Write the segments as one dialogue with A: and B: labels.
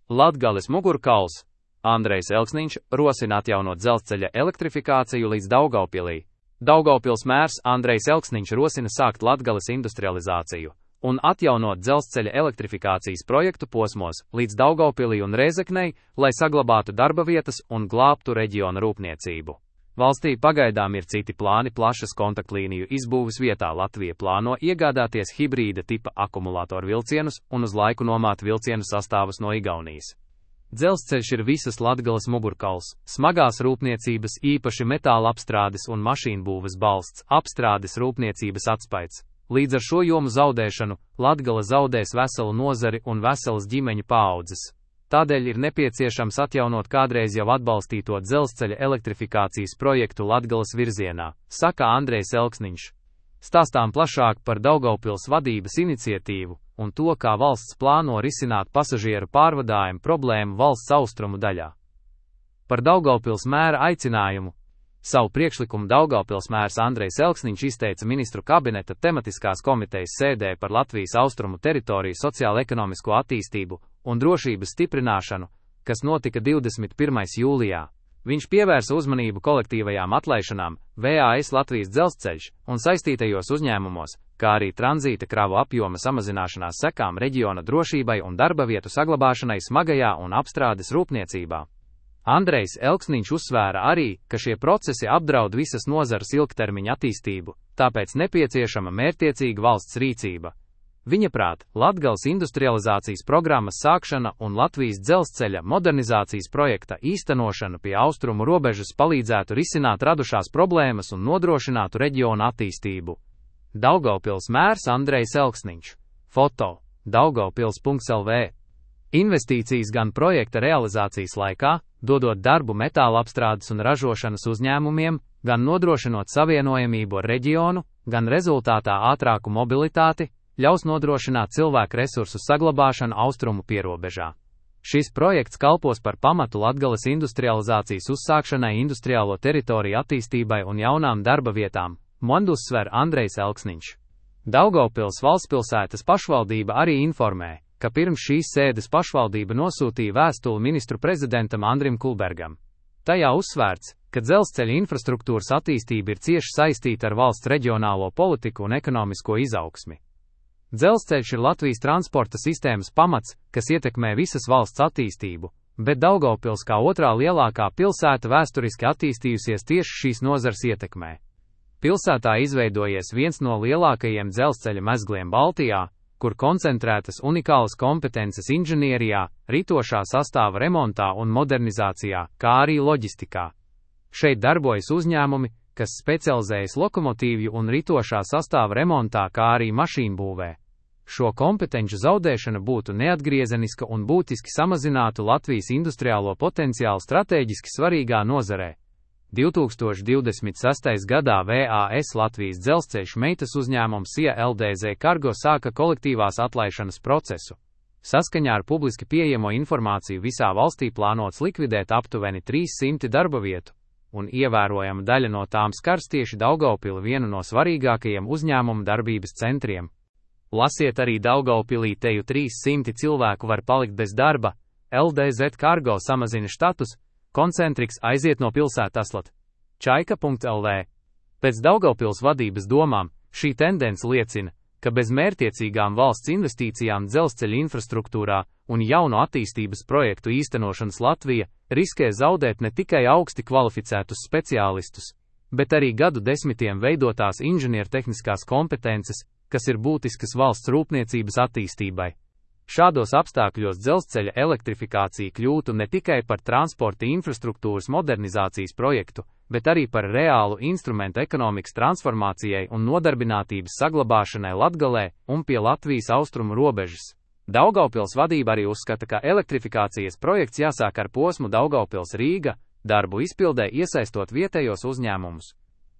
A: Latgales mugurkauls. Andrejs Elksniņš rosina atjaunot dzelzceļa elektrifikāciju līdz Daugavpilī. Daugavpils mērs Andrejs Elksniņš rosina sākt Latgales industrializāciju un atjaunot dzelzceļa elektrifikācijas projektu posmos līdz Daugavpilī un Rēzeknei, lai saglabātu darba vietas un glābtu reģiona rūpniecību. Valstī pagaidām ir citi plāni plašas kontaktlīniju izbūves vietā. Latvija plāno iegādāties hibrīda tipa akumulātoru vilcienus un uz laiku nomāt vilcienu sastāvus no Igaunijas. Dzelzceļš ir visas Latgales mugurkauls, smagās rūpniecības, īpaši metāla apstrādes un mašīnbūves balsts, apstrādes rūpniecības atspaids. Līdz ar šo jomu zaudēšanu Latgale zaudēs veselu nozari un veselas ģimeņu paaudzes. Tādēļ ir nepieciešams atjaunot kādreiz jau atbalstīto dzelzceļa elektrifikācijas projektu Latgales virzienā, saka Andrejs Elksniņš. Stāstām plašāk par Daugavpils vadības iniciatīvu un to, kā valsts plāno risināt pasažieru pārvadājumu problēmu valsts austrumu daļā. Par Daugavpils mēra aicinājumu. Savu priekšlikumu Daugavpils mērs Andrejs Elksniņš izteica ministru kabineta tematiskās komitejas sēdē par Latvijas austrumu teritoriju sociālo-ekonomisko attīstību un drošības stiprināšanu, kas notika 21. jūlijā. Viņš pievērsa uzmanību kolektīvajām atlaišanām, VAS Latvijas dzelzceļš un saistītajos uzņēmumos, kā arī tranzīta kravu apjoma samazināšanās sekām reģiona drošībai un darba vietu saglabāšanai smagajā un apstrādes rūpniecībā. Andrejs Elksniņš uzsvēra arī, ka šie procesi apdraud visas nozares ilgtermiņa attīstību, tāpēc nepieciešama mērķtiecīga valsts rīcība. Viņaprāt, Latgales industrializācijas programmas sākšana un Latvijas dzelzceļa modernizācijas projekta īstenošana pie austrumu robežas palīdzētu risināt radušās problēmas un nodrošinātu reģionu attīstību. Daugavpils mērs Andrejs Elksniņš. Foto. Daugavpils.lv. Investīcijas gan projekta realizācijas laikā, dodot darbu metāla apstrādes un ražošanas uzņēmumiem, gan nodrošinot savienojamību ar reģionu, gan rezultātā ātrāku mobilitāti, ļaus nodrošināt cilvēku resursu saglabāšanu austrumu pierobežā. Šis projekts kalpos par pamatu Latgales industrializācijas uzsākšanai, industriālo teritoriju attīstībai un jaunām darba vietām, uzsver Andrejs Elksniņš. Daugavpils valstspilsētas pašvaldība arī informē, ka pirms šīs sēdes pašvaldība nosūtīja vēstuli ministru prezidentam Andrim Kulbergam. Tajā uzsvērts, ka dzelzceļa infrastruktūras attīstība ir cieši saistīta ar valsts reģionālo politiku un ekonomisko izaugsmi. Dzelzceļš ir Latvijas transporta sistēmas pamats, kas ietekmē visas valsts attīstību, bet Daugavpils kā otrā lielākā pilsēta vēsturiski attīstījusies tieši šīs nozars ietekmē. Pilsētā izveidojies viens no lielākajiem dzelzceļa mezgliem Baltijā, kur koncentrētas unikālas kompetences inženierijā, ritošā sastāva remontā un modernizācijā, kā arī loģistikā. Šeit darbojas uzņēmumi, kas specializējas lokomotīvju un ritošā sastāva remontā, kā arī mašīnbūvē. Šo kompetenču zaudēšana būtu neatgriezeniska un būtiski samazinātu Latvijas industriālo potenciālu stratēģiski svarīgā nozarē. 2026. gadā VAS Latvijas dzelzceļš meitas uzņēmums SIA LDZ Cargo sāka kolektīvās atlaišanas procesu. Saskaņā ar publiski pieejamo informāciju visā valstī plānots likvidēt aptuveni 300 darba vietu, un ievērojama daļa no tām skars tieši Daugavpili, vienu no svarīgākajiem uzņēmumu darbības centriem. Lasiet arī Daugavpilī teju 300 cilvēku var palikt bez darba, LDZ Cargo samazina štatus, Koncentriks aiziet no pilsētas. Čaika.lv. Pēc Daugavpils vadības domām, šī tendence liecina, ka bez mērķtiecīgām valsts investīcijām dzelzceļa infrastruktūrā un jaunu attīstības projektu īstenošanas Latvija riskē zaudēt ne tikai augsti kvalificētus speciālistus, bet arī gadu desmitiem veidotās inženiertehniskās kompetences, kas ir būtiskas valsts rūpniecības attīstībai. Šādos apstākļos dzelzceļa elektrifikācija kļūtu ne tikai par transporta infrastruktūras modernizācijas projektu, bet arī par reālu instrumentu ekonomikas transformācijai un nodarbinātības saglabāšanai Latgalē un pie Latvijas austrumu robežas. Daugavpils vadība arī uzskata, ka elektrifikācijas projekts jāsāk ar posmu Daugavpils-Rīga, darbu izpildē iesaistot vietējos uzņēmumus.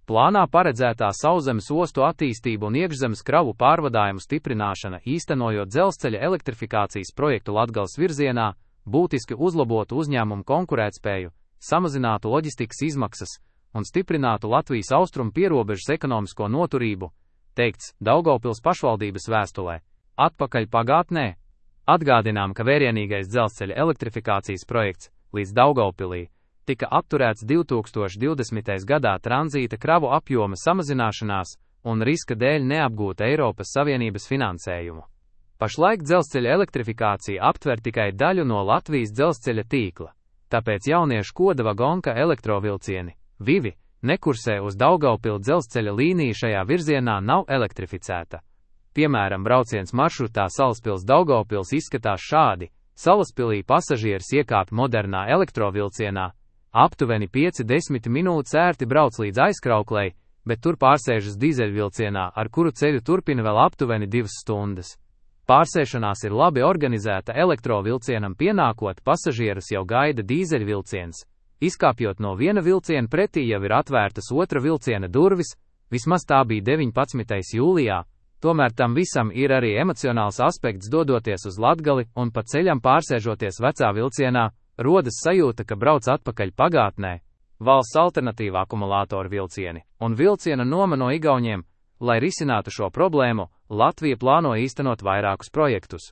A: Plānā paredzētā sauszemes ostu attīstība un iekšzemes kravu pārvadājumu stiprināšana, īstenojot dzelzceļa elektrifikācijas projektu Latgales virzienā, būtiski uzlabotu uzņēmumu konkurētspēju, samazinātu loģistikas izmaksas un stiprinātu Latvijas austrumu pierobežas ekonomisko noturību, teikts Daugavpils pašvaldības vēstulē. Atpakaļ pagātnē. Atgādinām, ka vērienīgais dzelzceļa elektrifikācijas projekts līdz Daugavpilī tika apturēts 2020. gadā tranzīta kravu apjoma samazināšanās un riska dēļ neapgūt Eiropas Savienības finansējumu. Pašlaik dzelzceļa elektrifikācija aptver tikai daļu no Latvijas dzelzceļa tīkla, tāpēc jauniešu koda vagonka elektrovilcieni, Vivi, nekursē uz Daugavpili dzelzceļa līnija šajā virzienā nav elektrificēta. Piemēram, brauciens maršrutā Salaspils-Daugavpils izskatās šādi. Salaspilī pasažieris iekāpj modernā elektrovilcienā, aptuveni 5–10 minūtes ērti brauc līdz Aizkrauklei, bet tur pārsēžas dīzeļvilcienā, ar kuru ceļu turpina vēl aptuveni 2 stundas. Pārsēšanās ir labi organizēta, elektrovilcienam pienākot, pasažierus jau gaida dīzeļvilciens. Izkāpjot no viena vilciena pretī jau ir atvērtas otra vilciena durvis, vismaz tā bija 19. jūlijā. Tomēr tam visam ir arī emocionāls aspekts, dodoties uz Latgali un pa ceļam pārsēžoties vecā vilcienā, rodas sajūta, ka brauc atpakaļ pagātnē. Valsts alternatīva akumulātoru vilcieni un vilciena noma no Igauniem. Lai risinātu šo problēmu, Latvija plāno īstenot vairākus projektus.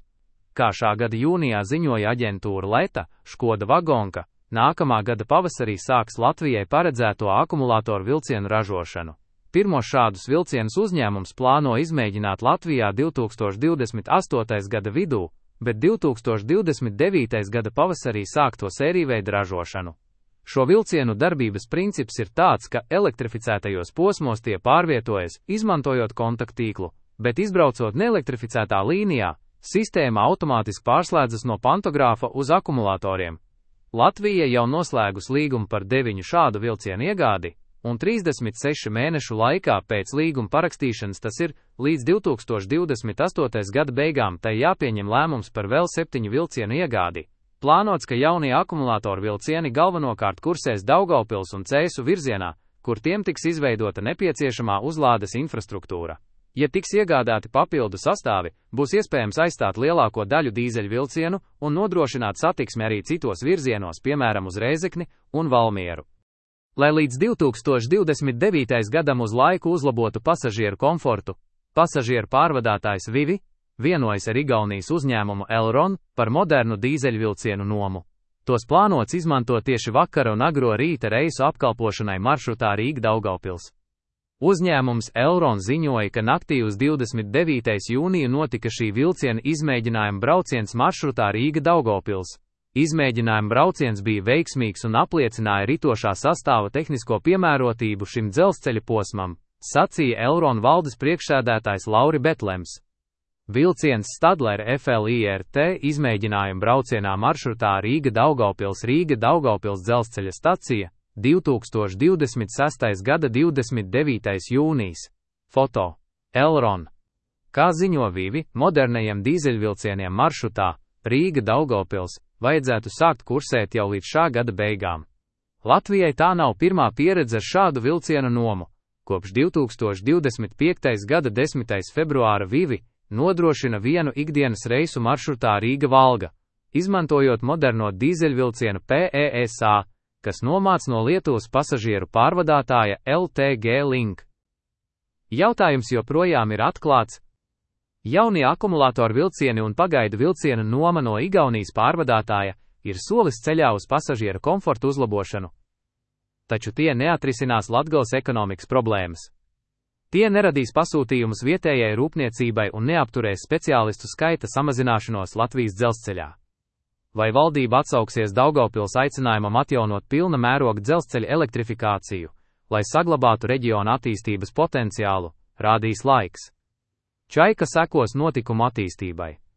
A: Kā šā gada jūnijā ziņoja aģentūra Leta, Škoda vagonka, nākamā gada pavasarī sāks Latvijai paredzēto akumulātoru vilcienu ražošanu. Pirmo šādus vilcienus uzņēmums plāno izmēģināt Latvijā 2028. gada vidū, bet 2029. gada pavasarī sāk to sērijveida ražošanu. Šo vilcienu darbības princips ir tāds, ka elektrificētajos posmos tie pārvietojas, izmantojot kontakttīklu, bet izbraucot neelektrificētā līnijā, sistēma automātiski pārslēdzas no pantogrāfa uz akumulatoriem. Latvija jau noslēgus līgumu par 9 šādu vilcienu iegādi, un 36 mēnešu laikā pēc līguma parakstīšanas, tas ir līdz 2028. gada beigām, tai jāpieņem lēmums par vēl 7 vilcienu iegādi. Plānots, ka jaunie akumulātoru vilcieni galvenokārt kursēs Daugavpils un Cēsu virzienā, kur tiem tiks izveidota nepieciešamā uzlādes infrastruktūra. Ja tiks iegādāti papildu sastāvi, būs iespējams aizstāt lielāko daļu dīzeļu vilcienu un nodrošināt satiksmi arī citos virzienos, piemēram uz Rēzekni un Valmieru. Lai līdz 2029. gadam uz laiku uzlabotu pasažieru komfortu, pasažieru pārvadātājs Vivi vienojas ar Igaunijas uzņēmumu Elron par modernu dīzeļvilcienu nomu. Tos plānots izmantot tieši vakara un agro rīta reisu apkalpošanai maršrutā Rīga-Daugavpils. Uzņēmums Elron ziņoja, ka naktī uz 29. jūniju notika šī vilciena izmēģinājuma brauciens maršrutā Rīga-Daugavpils. Izmēģinājuma brauciens bija veiksmīgs un apliecināja ritošā sastāva tehnisko piemērotību šim dzelzceļa posmam, sacīja Elron valdes priekšsēdētājs Lauri Betlems. Vilciens Stadler FLIRT izmēģinājuma braucienā maršrutā Rīga-Daugavpils dzelzceļa stacija 2026. gada 29. jūnijas. Foto. Elron. Kā ziņo Vivi, modernajiem dīzeļvilcieniem maršrutā Rīga-Daugavpils vajadzētu sākt kursēt jau līdz šā gada beigām. Latvijai tā nav pirmā pieredze ar šādu vilcienu nomu. Kopš 2025. gada 10. februāra Vivi nodrošina vienu ikdienas reisu maršrutā Rīga-Valga, izmantojot moderno dīzeļvilcienu PESA, kas nomāc no Lietuvas pasažieru pārvadātāja LTG Link. Jautājums joprojām ir atklāts. Jaunie akumulātoru vilcieni un pagaidu vilciena noma no Igaunijas pārvadātāja ir solis ceļā uz pasažieru komfortu uzlabošanu. Taču tie neatrisinās Latgales ekonomikas problēmas. Tie neradīs pasūtījumus vietējai rūpniecībai un neapturēs speciālistu skaita samazināšanos Latvijas dzelzceļā. Vai valdība atsauksies Daugavpils aicinājumam atjaunot pilna mēroga dzelzceļa elektrifikāciju, lai saglabātu reģiona attīstības potenciālu, rādīs laiks. Čaika sekos notikumu attīstībai.